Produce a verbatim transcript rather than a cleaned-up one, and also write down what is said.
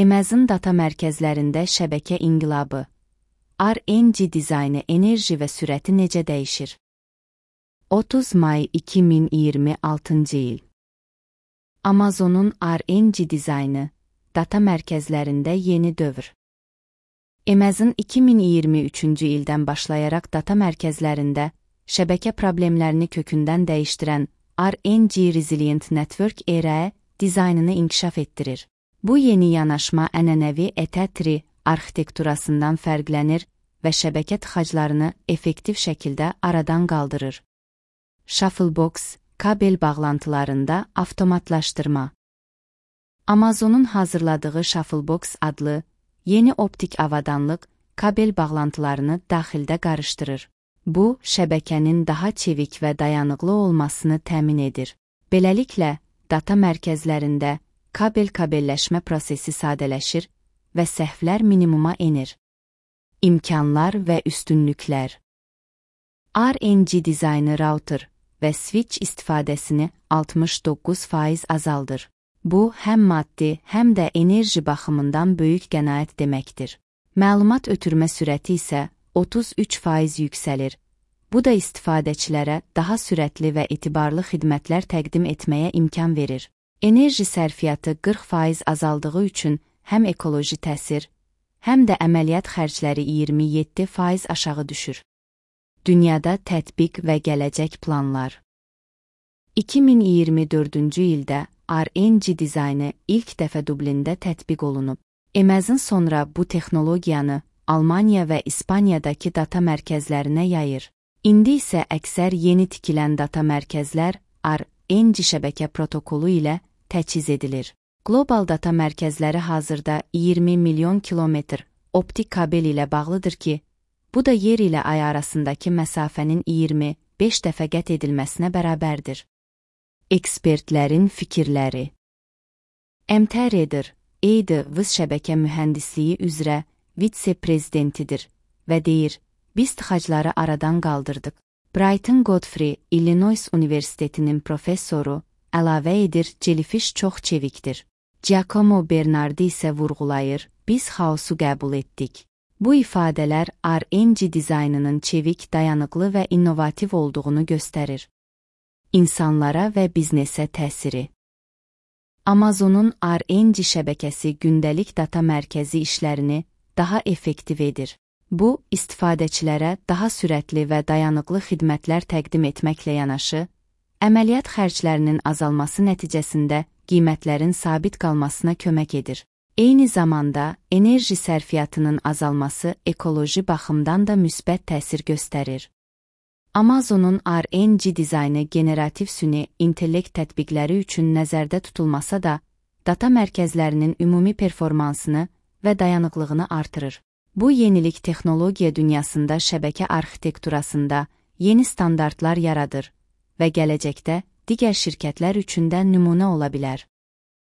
Amazon data mərkəzlərində şəbəkə inqilabı. R N G dizaynı, enerji və sürəti necə dəyişir? otuz may iki min iyirmi altıncı il. Amazonun R N G dizaynı, data mərkəzlərində yeni dövr. Amazon iki min iyirmi üçüncü ildən başlayaraq data mərkəzlərində şəbəkə problemlərini kökündən dəyişdirən R N G Resilient Network R E dizaynını inkişaf etdirir. Bu yeni yanaşma ənənəvi E T tri arxitekturasından fərqlənir və şəbəkə tıxaclarını effektiv şəkildə aradan qaldırır. Shufflebox, kabel bağlantılarında avtomatlaşdırma. Amazonun hazırladığı Shufflebox adlı yeni optik avadanlıq kabel bağlantılarını daxildə qarışdırır. Bu, şəbəkənin daha çevik və dayanıqlı olmasını təmin edir. Beləliklə, data mərkəzlərində kabel-kabelləşmə prosesi sadələşir və səhvlər minimuma enir. İmkanlar və üstünlüklər. R N G dizaynı router və switch istifadəsini altmış doqquz faiz azaldır. Bu, həm maddi, həm də enerji baxımından böyük qənaət deməkdir. Məlumat ötürmə sürəti isə otuz üç faiz yüksəlir. Bu da istifadəçilərə daha sürətli və etibarlı xidmətlər təqdim etməyə imkan verir. Enerji sərfiyyatı qırx faiz azaldığı üçün həm ekoloji təsir, həm də əməliyyat xərcləri iyirmi yeddi faiz aşağı düşür. Dünyada tətbiq və gələcək planlar. iki min iyirmi dördüncü ildə R N G dizaynı ilk dəfə Dublində tətbiq olunub. Amazon sonra bu texnologiyanı Almaniya və İspaniyadakı data mərkəzlərinə yayır. İndi isə əksər yeni tikilən data mərkəzlər R N G şəbəkə protokolu ilə təchiz edilir. Qlobal data mərkəzləri hazırda iyirmi milyon kilometr optik kabel ilə bağlıdır ki, bu da yer ilə ay arasındakı məsafənin iyirmi beş dəfə qət edilməsinə bərabərdir. Ekspertlərin fikirləri. M T Reder, E D V S şəbəkə mühəndisliyi üzrə vitse-prezidentidir və deyir, biz tıxacları aradan qaldırdıq. Brighton Godfrey, Illinois Universitetinin professoru, əlavə edir, Jellyfish çox çevikdir. Giacomo Bernardi isə vurğulayır, biz xaosu qəbul etdik. Bu ifadələr R N G dizaynının çevik, dayanıqlı və innovativ olduğunu göstərir. İnsanlara və biznesə təsiri. Amazonun R N G şəbəkəsi gündəlik data mərkəzi işlərini daha effektiv edir. Bu, istifadəçilərə daha sürətli və dayanıqlı xidmətlər təqdim etməklə yanaşı, əməliyyat xərclərinin azalması nəticəsində qiymətlərin sabit qalmasına kömək edir. Eyni zamanda, enerji sərfiyyatının azalması ekoloji baxımdan da müsbət təsir göstərir. Amazonun R N G dizaynı generativ süni intellekt tətbiqləri üçün nəzərdə tutulmasa da, data mərkəzlərinin ümumi performansını və dayanıqlığını artırır. Bu yenilik texnologiya dünyasında şəbəkə arxitekturasında yeni standartlar yaradır və gələcəkdə digər şirkətlər üçün də nümunə ola bilər.